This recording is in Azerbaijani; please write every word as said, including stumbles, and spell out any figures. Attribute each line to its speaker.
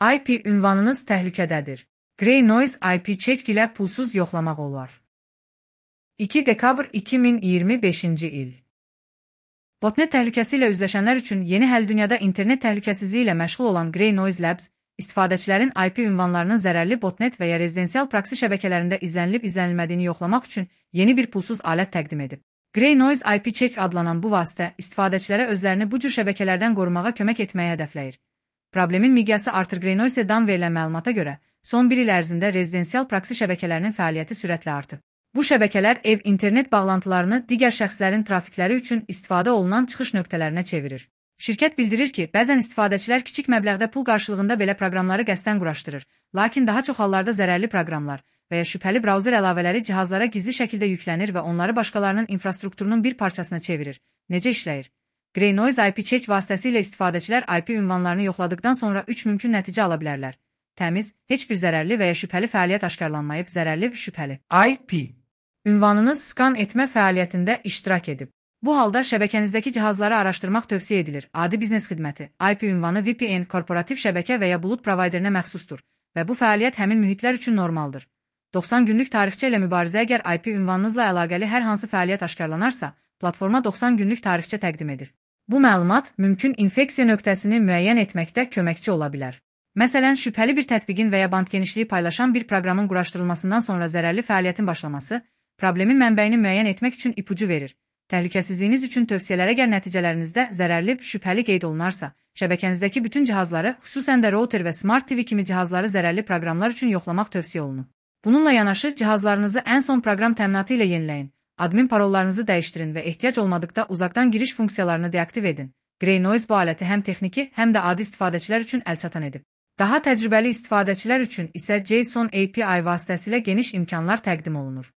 Speaker 1: I P ünvanınız təhlükədədir. Grey Noise I P check ilə pulsuz yoxlamaq olar. iki dekabr iki min iyirmi beşinci il. Botnet təhlükəsi ilə üzləşənlər üçün yeni həll dünyada internet təhlükəsizliyi ilə məşğul olan Grey Noise Labs, istifadəçilərin I P ünvanlarının zərərli botnet və ya rezidensial proksi şəbəkələrində izlənilib-izlənilmədiyini yoxlamaq üçün yeni bir pulsuz alət təqdim edib. Grey Noise I P check adlanan bu vasitə istifadəçilərə özlərini bu cür şəbəkələrdən qorumağa kömək etməyə hədəfləyir. Problemin miqyası artır. Grey Noise-dan verilən məlumata görə, son bir il ərzində rezidensial proksi şəbəkələrinin fəaliyyəti sürətlə artıb. Bu şəbəkələr ev internet bağlantılarını digər şəxslərin trafikləri üçün istifadə olunan çıxış nöqtələrinə çevirir. Şirkət bildirir ki, bəzən istifadəçilər kiçik məbləğdə pul qarşılığında belə proqramları qəsdən quraşdırır, lakin daha çox hallarda zərərli proqramlar və ya şübhəli brauzer əlavələri cihazlara gizli şəkildə yüklənir və onları başqalarının infrastrukturunun bir parçasına çevirir. Necə işləyir? Grey Noise I P check vasitəsilə istifadəçilər I P ünvanlarını yoxladıqdan sonra üç mümkün nəticə ala bilərlər. Təmiz, heç bir zərərli və ya şübhəli fəaliyyət aşkarlanmayıb, zərərli və şübhəli
Speaker 2: I P
Speaker 1: ünvanınız skan etmə fəaliyyətində iştirak edib. Bu halda şəbəkənizdəki cihazları araşdırmaq tövsiyə edilir. Adi biznes xidməti, I P ünvanı V P N, korporativ şəbəkə və ya bulut provayderinə məxsusdur və bu fəaliyyət həmin mühitlər üçün normaldır. doxsan günlük tarixçə ilə mübarizə. Əgər I P ünvanınızla əlaqəli hər hansı fəaliyyət aşkarlanarsa, platforma doxsan günlük tarixçə təqdim edir. Bu məlumat mümkün infeksiya nöqtəsini müəyyən etməkdə köməkçi ola bilər. Məsələn, şübhəli bir tətbiqin və ya band genişliyi paylaşan bir proqramın quraşdırılmasından sonra zərərli fəaliyyətin başlaması, problemin mənbəyini müəyyən etmək üçün ipucu verir. Təhlükəsizliyiniz üçün tövsiyələrə gəl nəticələrinizdə zərərli, şübhəli qeyd olunarsa, şəbəkənizdəki bütün cihazları, xüsusən də router və Smart T V kimi cihazları zərərli proqramlar üçün yoxlamaq tövsiyə olunur. Bununla yanaşı, cihazlarınızı ən son proqram təminatı ilə yeniləyin, admin parollarınızı dəyişdirin və ehtiyac olmadıqda uzaqdan giriş funksiyalarını deaktiv edin. Grey Noise bu aləti həm texniki, həm də adi istifadəçilər üçün əlçatan edib. Daha təcrübəli istifadəçilər üçün isə JSON A P I vasitəsilə geniş imkanlar təqdim olunur.